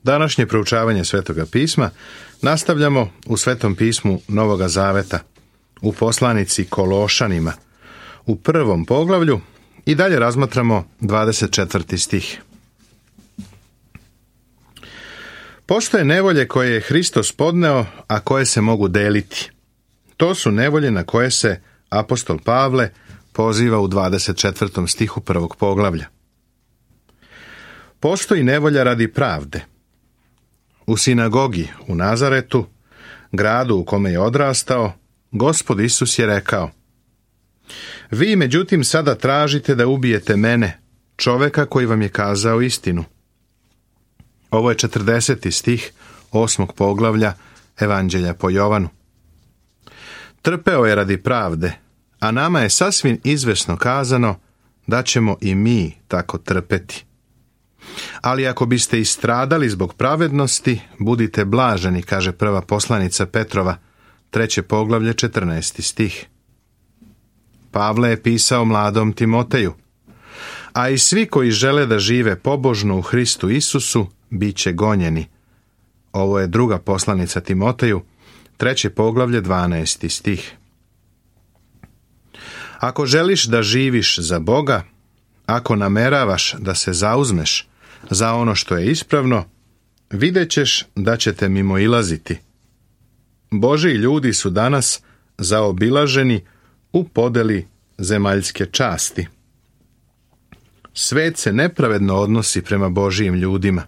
Današnje proučavanje Svetoga pisma nastavljamo u Svetom pismu Novoga Zaveta, u poslanici Kološanima, u 1. poglavlju i dalje razmatramo 24. stih. Postoje nevolje koje je Hristos podneo, a koje se mogu deliti. To su nevolje na koje se apostol Pavle poziva u 24. stihu 1. poglavlja. Postoji nevolja radi pravde. U sinagogi u Nazaretu, gradu u kome je odrastao, Gospod Isus je rekao: Vi, međutim, sada tražite da ubijete mene, čoveka koji vam je kazao istinu. Ovo je 40. stih 8. poglavlja Evanđelja po Jovanu. Trpeo je radi pravde, a nama je sasvim izvesno kazano da ćemo i mi tako trpeti. Ali ako biste istradali zbog pravednosti, budite blaženi, kaže prva poslanica Petrova, 3. poglavlje 14. stih. Pavle je pisao mladom Timoteju: A i svi koji žele da žive pobožno u Hristu Isusu, bit će gonjeni. Ovo je druga poslanica Timoteju, 3. poglavlje 12. stih. Ako želiš da živiš za Boga, ako nameravaš da se zauzmeš za ono što je ispravno, vidjet ćeš da ćete mimoilaziti. Božji ljudi su danas zaobilaženi u podeli zemaljske časti. Svet se nepravedno odnosi prema Božijim ljudima.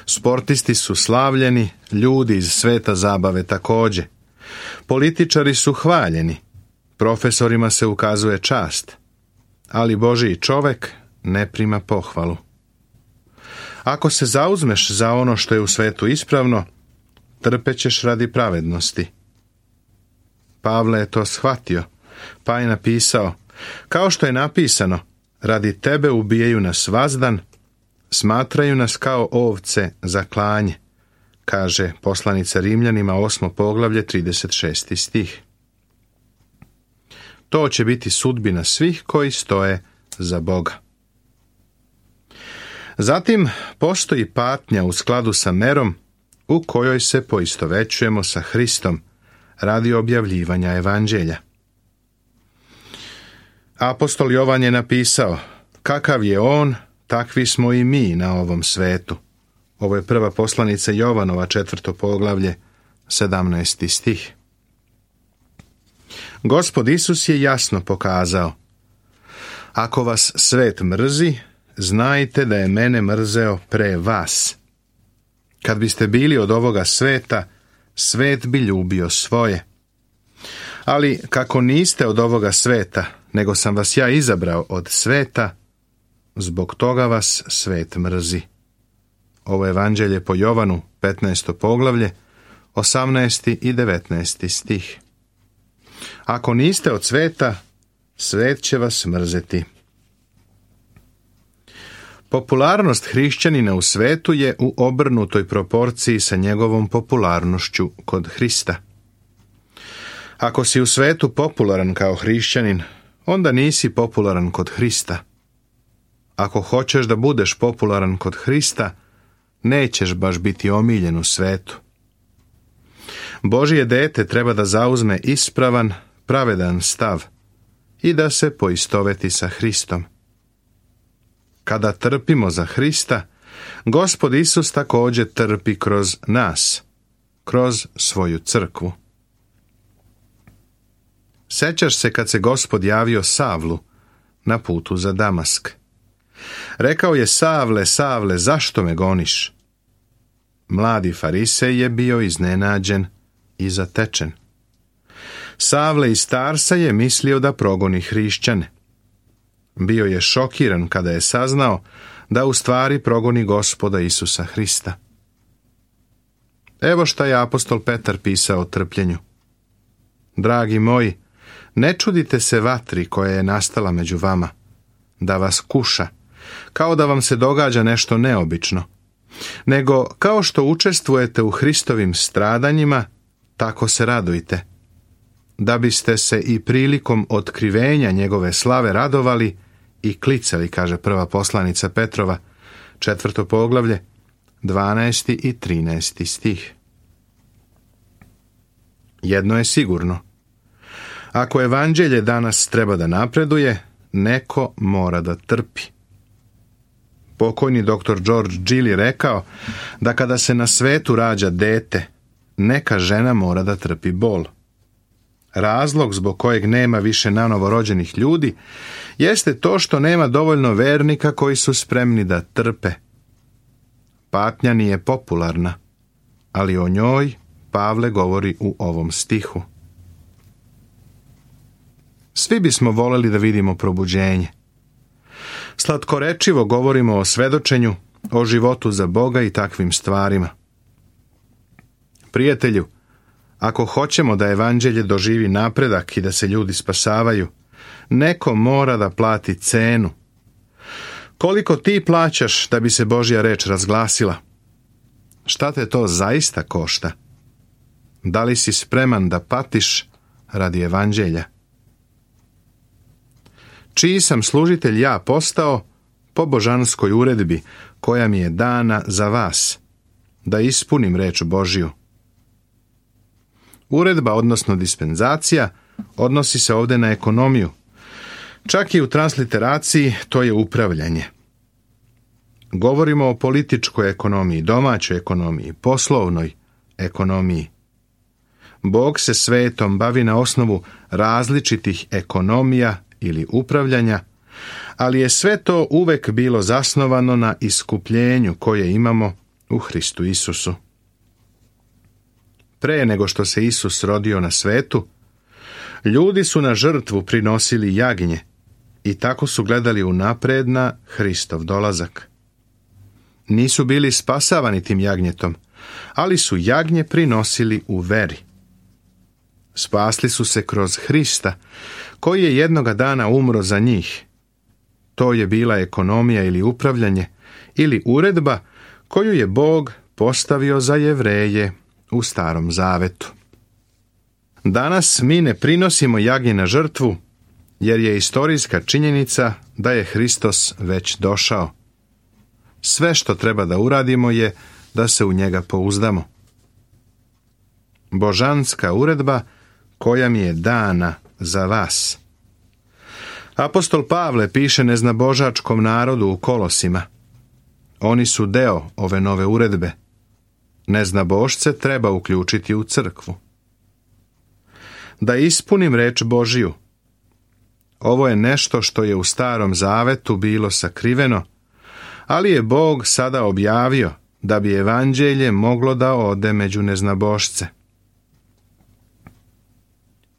Sportisti su slavljeni, ljudi iz sveta zabave također. Političari su hvaljeni, profesorima se ukazuje čast, ali Božji čovek ne prima pohvalu. Ako se zauzmeš za ono što je u svetu ispravno, trpećeš radi pravednosti. Pavle je to shvatio, pa je napisao: Kao što je napisano, radi tebe ubijaju nas vazdan, smatraju nas kao ovce za klanje, kaže poslanica Rimljanima 8. poglavlje 36. stih. To će biti sudbina svih koji stoje za Boga. Zatim postoji patnja u skladu sa merom u kojoj se poistovećujemo sa Hristom radi objavljivanja evanđelja. Apostol Jovan je napisao: Kakav je on, takvi smo i mi na ovom svetu. Ovo je prva poslanica Jovanova, 4. poglavlje, 17. stih. Gospod Isus je jasno pokazao: Ako vas svet mrzi, znajte da je mene mrzeo pre vas. Kad biste bili od ovoga sveta, svet bi ljubio svoje. Ali kako niste od ovoga sveta, nego sam vas ja izabrao od sveta, zbog toga vas svet mrzi. Ovo je Evanđelje po Jovanu, 15. poglavlje, 18. i 19. stih. Ako niste od sveta, svet će vas mrzeti. Popularnost hrišćanina u svetu je u obrnutoj proporciji sa njegovom popularnošću kod Hrista. Ako si u svetu popularan kao hrišćanin, onda nisi popularan kod Hrista. Ako hoćeš da budeš popularan kod Hrista, nećeš baš biti omiljen u svetu. Božje dete treba da zauzme ispravan, pravedan stav i da se poistoveti sa Hristom. Kada trpimo za Hrista, Gospod Isus također trpi kroz nas, kroz svoju crkvu. Sećaš se kad se Gospod javio Savlu na putu za Damask. Rekao je: Savle, Savle, zašto me goniš? Mladi farisej je bio iznenađen i zatečen. Savle iz Tarsa je mislio da progoni hrišćane. Bio je šokiran kada je saznao da u stvari progoni Gospoda Isusa Hrista. Evo šta je apostol Petar pisao o trpljenju. Dragi moji, ne čudite se vatri koja je nastala među vama, da vas kuša, kao da vam se događa nešto neobično, nego kao što učestvujete u Hristovim stradanjima, tako se radujte, da biste se i prilikom otkrivenja njegove slave radovali i klicali, kaže prva poslanica Petrova, 4. poglavlje, 12. i 13. stih. Jedno je sigurno. Ako evanđelje danas treba da napreduje, neko mora da trpi. Pokojni dr. George Gill je rekao da kada se na svetu rađa dete, neka žena mora da trpi bol. Razlog zbog kojeg nema više nanovo rođenih ljudi jeste to što nema dovoljno vernika koji su spremni da trpe. Patnja nije popularna, ali o njoj Pavle govori u ovom stihu. Svi bismo voleli da vidimo probuđenje. Slatkorečivo govorimo o svedočenju, o životu za Boga i takvim stvarima. Prijatelju, ako hoćemo da evanđelje doživi napredak i da se ljudi spasavaju, neko mora da plati cenu. Koliko ti plaćaš da bi se Božja reč razglasila? Šta te to zaista košta? Da li si spreman da patiš radi evanđelja? Čiji sam služitelj ja postao po božanskoj uredbi koja mi je dana za vas, da ispunim reč Božju. Uredba, odnosno dispenzacija, odnosi se ovdje na ekonomiju. Čak i u transliteraciji to je upravljanje. Govorimo o političkoj ekonomiji, domaćoj ekonomiji, poslovnoj ekonomiji. Bog se svetom bavi na osnovu različitih ekonomija ili upravljanja, ali je sve to uvek bilo zasnovano na iskupljenju koje imamo u Hristu Isusu. Pre nego što se Isus rodio na svetu, ljudi su na žrtvu prinosili jagnje i tako su gledali unapred na Hristov dolazak. Nisu bili spasavani tim jagnjetom, ali su jagnje prinosili u veri. Spasli su se kroz Hrista, koji je jednoga dana umro za njih. To je bila ekonomija ili upravljanje, ili uredba koju je Bog postavio za Jevreje u Starom Zavetu. Danas mi ne prinosimo jagnje na žrtvu, jer je istorijska činjenica da je Hristos već došao. Sve što treba da uradimo je da se u njega pouzdamo. Božanska uredba koja mi je dana za vas. Apostol Pavle piše neznabožačkom narodu u Kolosima. Oni su deo ove nove uredbe. Neznabošce treba uključiti u crkvu. Da ispunim reč Božiju. Ovo je nešto što je u Starom Zavetu bilo sakriveno, ali je Bog sada objavio da bi evanđelje moglo da ode među neznabošce.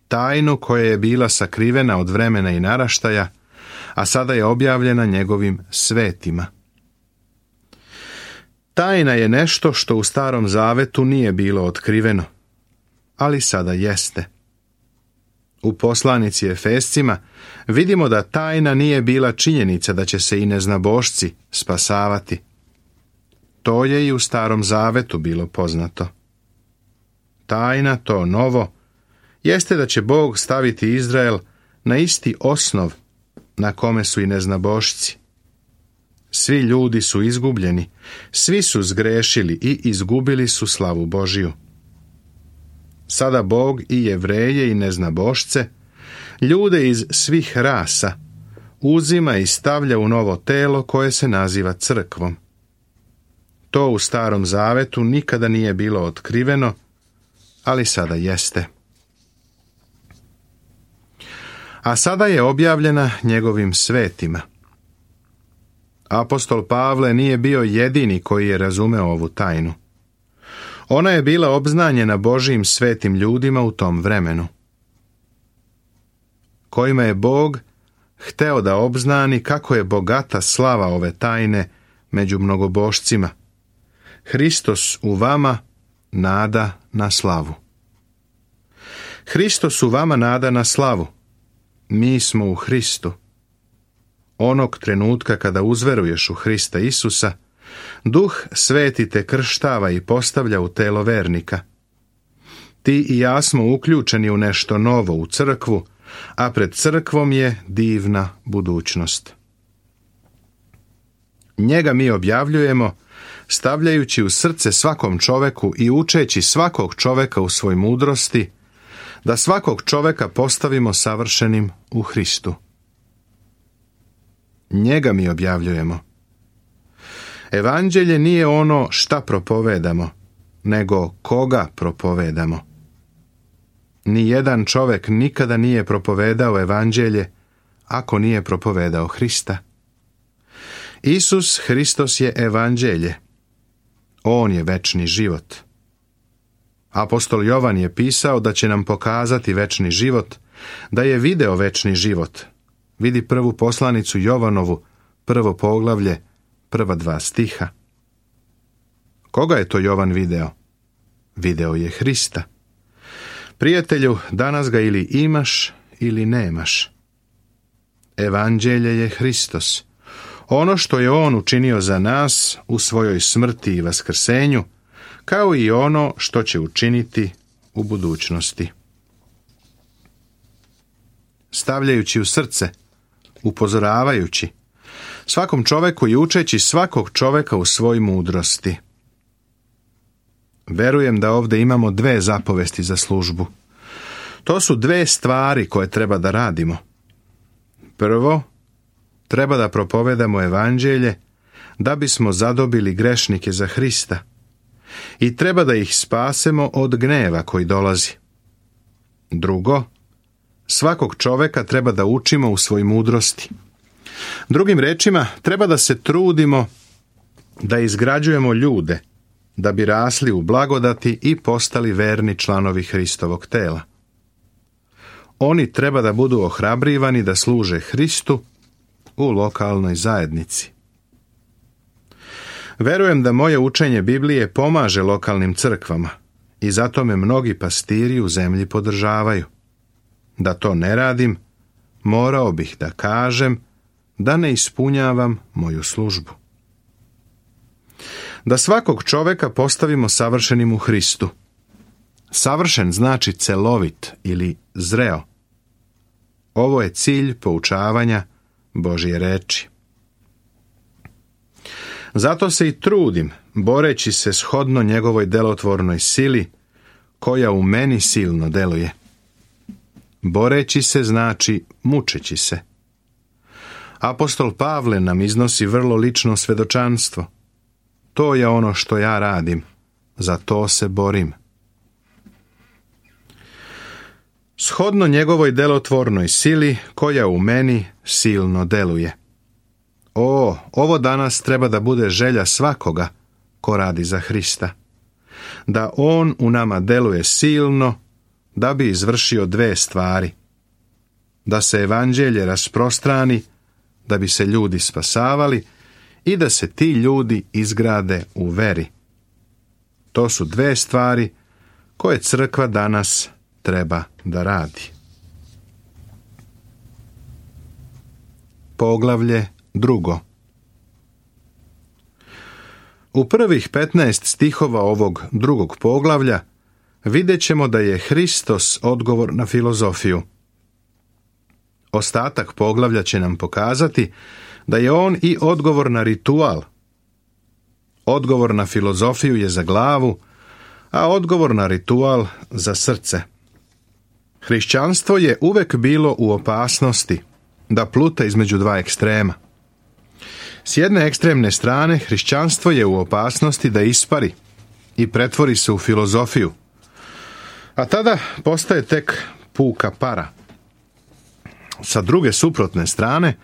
Tajnu koja je bila sakrivena od vremena i naraštaja, a sada je objavljena njegovim svetima. Tajna je nešto što u Starom Zavetu nije bilo otkriveno, ali sada jeste. U poslanici Efescima vidimo da tajna nije bila činjenica da će se i neznabošci spasavati. To je i u Starom Zavetu bilo poznato. Tajna, to novo, jeste da će Bog staviti Izrael na isti osnov na kome su i neznabošci. Svi ljudi su izgubljeni, svi su zgrešili i izgubili su slavu Božiju. Sada Bog i Jevreje i neznabošce, ljude iz svih rasa, uzima i stavlja u novo telo koje se naziva crkvom. To u Starom Zavetu nikada nije bilo otkriveno, ali sada jeste. A sada je objavljena njegovim svetima. Apostol Pavle nije bio jedini koji je razumeo ovu tajnu. Ona je bila obznanjena Božijim svetim ljudima u tom vremenu, kojima je Bog hteo da obznani kako je bogata slava ove tajne među mnogobošcima. Hristos u vama, nada na slavu. Hristos u vama, nada na slavu. Mi smo u Hristu. Onog trenutka kada uzveruješ u Hrista Isusa, Duh Sveti te krštava i postavlja u telo vernika. Ti i ja smo uključeni u nešto novo, u crkvu, a pred crkvom je divna budućnost. Njega mi objavljujemo stavljajući u srce svakom čoveku i učeći svakog čoveka u svoj mudrosti, da svakog čoveka postavimo savršenim u Hristu. Njega mi objavljujemo. Evanđelje nije ono šta propovedamo, nego koga propovedamo. Nijedan čovek nikada nije propovedao evanđelje ako nije propovedao Hrista. Isus Hristos je evanđelje. On je večni život. Apostol Jovan je pisao da će nam pokazati večni život, da je video večni život. Vidi prvu poslanicu Jovanovu, 1. poglavlje, prva 2 stiha. Koga je to Jovan video? Video je Hrista. Prijatelju, danas ga ili imaš ili nemaš. Evanđelje je Hristos. Ono što je on učinio za nas u svojoj smrti i vaskrsenju, kao i ono što će učiniti u budućnosti. Stavljajući u srce, upozoravajući, svakom čoveku i učeći svakog čoveka u svoj mudrosti. Verujem da ovdje imamo 2 zapovesti za službu. To su 2 stvari koje treba da radimo. Prvo, treba da propovedamo evanđelje da bismo zadobili grešnike za Hrista i treba da ih spasemo od gneva koji dolazi. Drugo, svakog čoveka treba da učimo u svoj mudrosti. Drugim rečima, treba da se trudimo da izgrađujemo ljude da bi rasli u blagodati i postali verni članovi Hristovog tela. Oni treba da budu ohrabrivani da služe Hristu u lokalnoj zajednici. Verujem da moje učenje Biblije pomaže lokalnim crkvama i zato me mnogi pastiri u zemlji podržavaju. Da to ne radim, morao bih da kažem da ne ispunjavam moju službu. Da svakog čoveka postavimo savršenim u Hristu. Savršen znači celovit ili zreo. Ovo je cilj poučavanja Božje reči. Zato se i trudim, boreći se shodno njegovoj delotvornoj sili, koja u meni silno deluje. Boreći se znači mučeći se. Apostol Pavle nam iznosi vrlo lično svedočanstvo. To je ono što ja radim, za to se borim. Shodno njegovoj delotvornoj sili, koja u meni silno deluje. Ovo danas treba da bude želja svakoga ko radi za Hrista. Da on u nama deluje silno, da bi izvršio 2 stvari. Da se evanđelje rasprostrani, da bi se ljudi spasavali i da se ti ljudi izgrade u veri. To su 2 stvari koje crkva danas treba da radi. Poglavlje 2. U prvih 15 stihova ovog 2. poglavlja vidjet ćemo da je Hristos odgovor na filozofiju. Ostatak poglavlja će nam pokazati da je on i odgovor na ritual. Odgovor na filozofiju je za glavu, a odgovor na ritual za srce. Hrišćanstvo je uvek bilo u opasnosti da pluta između 2 ekstrema. S jedne ekstremne strane, hrišćanstvo je u opasnosti da ispari i pretvori se u filozofiju, a tada postaje tek puka para. Sa druge suprotne strane,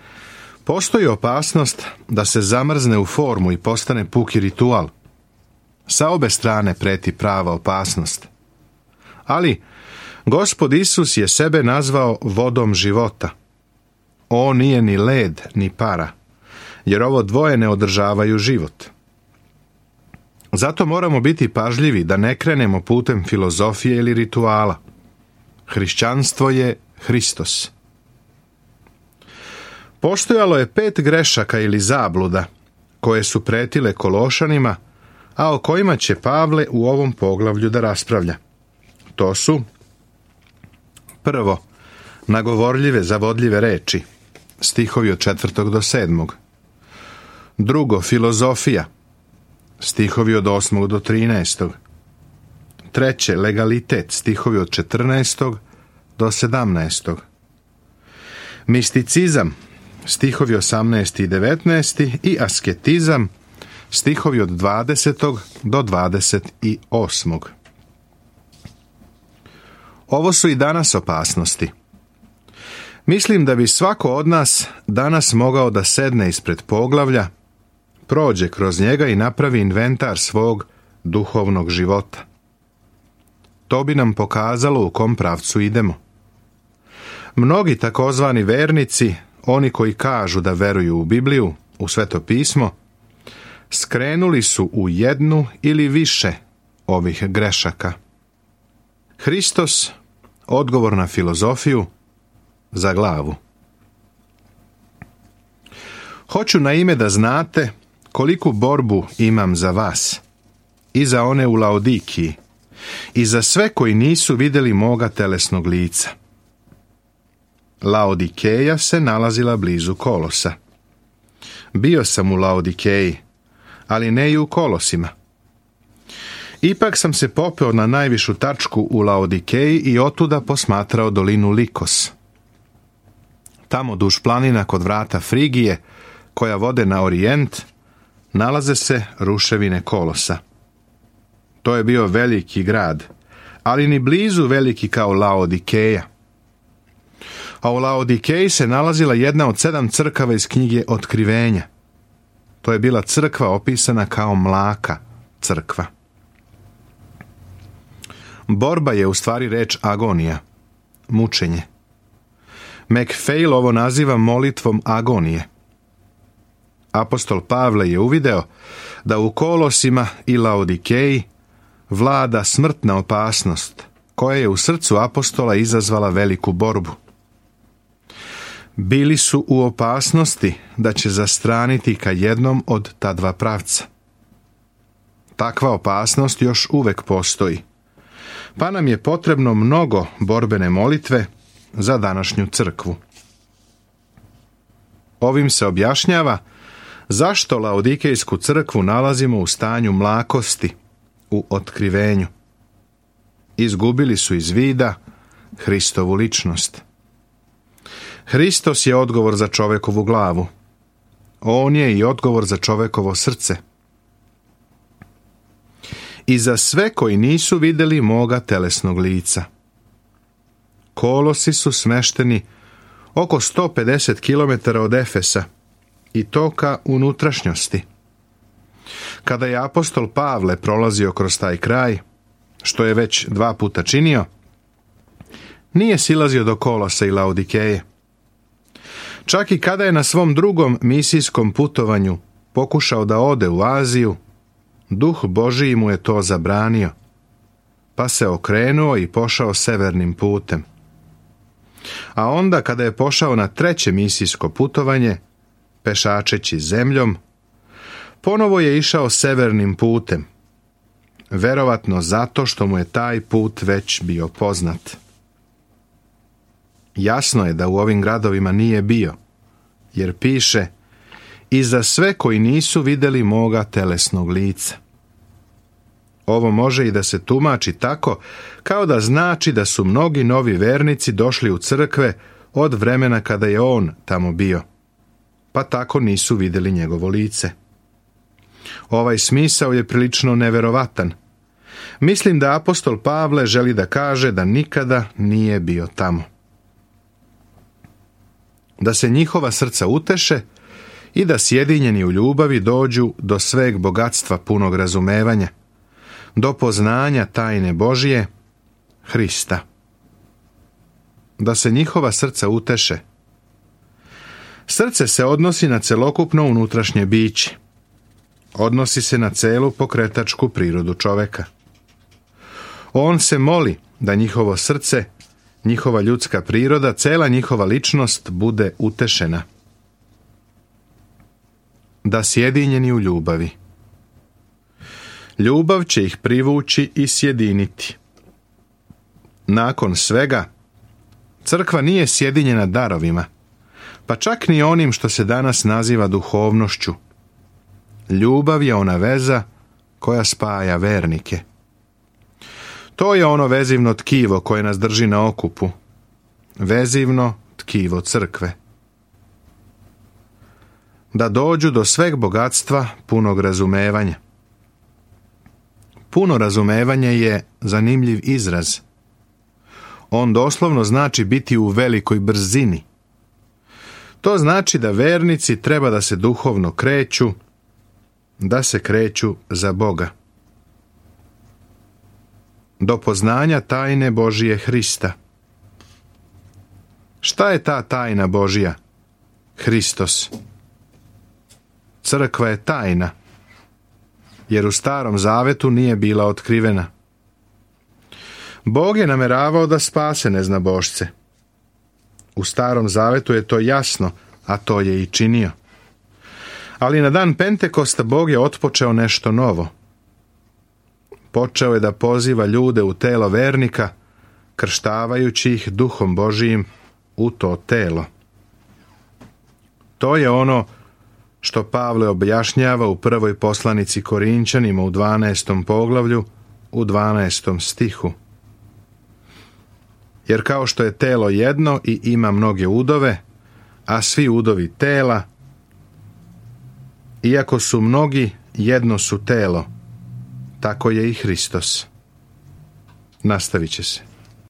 postoji opasnost da se zamrzne u formu i postane puki ritual. Sa obe strane preti prava opasnost. Ali Gospod Isus je sebe nazvao vodom života. On nije ni led, ni para, jer ovo dvoje ne održavaju život. Zato moramo biti pažljivi da ne krenemo putem filozofije ili rituala. Hrišćanstvo je Hristos. Postojalo je 5 grešaka ili zabluda koje su pretile Kološanima, a o kojima će Pavle u ovom poglavlju da raspravlja. To su: prvo, nagovorljive, zavodljive reči, stihovi od 4. do 7. Drugo, filozofija, stihovi od 8. do 13. Treće, legalitet, stihovi od 14. do 17. Misticizam, stihovi 18. i 19. i asketizam, stihovi od 20. do 28. Ovo su i danas opasnosti. Mislim da bi svako od nas danas mogao da sedne ispred poglavlja, prođe kroz njega i napravi inventar svog duhovnog života. To bi nam pokazalo u kom pravcu idemo. Mnogi takozvani vernici, oni koji kažu da veruju u Bibliju, u Sveto pismo, skrenuli su u jednu ili više ovih grešaka. Hristos, odgovor na filozofiju, za glavu. Hoću na ime da znate koliku borbu imam za vas i za one u Laodikiji i za sve koji nisu vidjeli moga telesnog lica. Laodikeja se nalazila blizu Kolosa. Bio sam u Laodikeji, ali ne i u Kolosima. Ipak sam se popeo na najvišu tačku u Laodikeji i otuda posmatrao dolinu Likos. Tamo duž planina kod vrata Frigije, koja vode na orijent, nalaze se ruševine Kolosa. To je bio veliki grad, ali ni blizu veliki kao Laodikeja. A u Laodikeji se nalazila jedna od 7 crkava iz knjige Otkrivenja. To je bila crkva opisana kao mlaka crkva. Borba je u stvari reč agonija, mučenje. McPhail ovo naziva molitvom agonije. Apostol Pavle je uvideo da u Kolosima i Laodikeji vlada smrtna opasnost, koja je u srcu apostola izazvala veliku borbu. Bili su u opasnosti da će zastraniti ka jednom od ta dva pravca. Takva opasnost još uvek postoji, pa nam je potrebno mnogo borbene molitve za današnju crkvu. Ovim se objašnjava zašto Laodikejsku crkvu nalazimo u stanju mlakosti, u otkrivenju. Izgubili su iz vida Hristovu ličnost. Hristos je odgovor za čovekovu glavu. On je i odgovor za čovekovo srce. I za sve koji nisu vidjeli moga telesnog lica. Kolosi su smešteni oko 150 km od Efesa i to ka unutrašnjosti. Kada je apostol Pavle prolazio kroz taj kraj, što je već 2 puta činio, nije silazio do Kolosa i Laodikeje. Čak i kada je na svom drugom misijskom putovanju pokušao da ode u Aziju, Duh Božiji mu je to zabranio, pa se okrenuo i pošao severnim putem. A onda kada je pošao na 3. misijsko putovanje, pešačeći zemljom, ponovo je išao severnim putem, verovatno zato što mu je taj put već bio poznat. Jasno je da u ovim gradovima nije bio, jer piše i za sve koji nisu vidjeli moga telesnog lica. Ovo može i da se tumači tako, kao da znači da su mnogi novi vernici došli u crkve od vremena kada je on tamo bio, pa tako nisu vidjeli njegovo lice. Ovaj smisao je prilično neverovatan. Mislim da apostol Pavle želi da kaže da nikada nije bio tamo. Da se njihova srca uteše i da sjedinjeni u ljubavi dođu do sveg bogatstva punog razumevanja, do poznanja tajne Božije, Hrista. Da se njihova srca uteše. Srce se odnosi na celokupno unutrašnje biće. Odnosi se na celu pokretačku prirodu čoveka. On se moli da njihovo srce, njihova ljudska priroda, cela njihova ličnost bude utešena. Da sjedinjeni u ljubavi. Ljubav će ih privući i sjediniti. Nakon svega, crkva nije sjedinjena darovima, pa čak ni onim što se danas naziva duhovnošću. Ljubav je ona veza koja spaja vernike. To je ono vezivno tkivo koje nas drži na okupu. Vezivno tkivo crkve. Da dođu do sveg bogatstva punog razumevanja. Puno razumevanje je zanimljiv izraz. On doslovno znači biti u velikoj brzini. To znači da vernici treba da se duhovno kreću, da se kreću za Boga. Do poznanja tajne Božije Hrista. Šta je ta tajna Božija? Hristos. Crkva je tajna, jer u Starom Zavetu nije bila otkrivena. Bog je nameravao da spase neznabošce. U Starom Zavetu je to jasno, a to je i činio. Ali na dan Pentekosta Bog je otpočeo nešto novo. Počeo je da poziva ljude u telo vernika, krštavajući ih Duhom Božijim u to telo. To je ono što Pavle objašnjava u prvoj poslanici Korinćanima u 12. poglavlju, u 12. stihu. Jer kao što je telo jedno i ima mnoge udove, a svi udovi tela, iako su mnogi, jedno su telo, tako je i Hristos. Nastavit će se.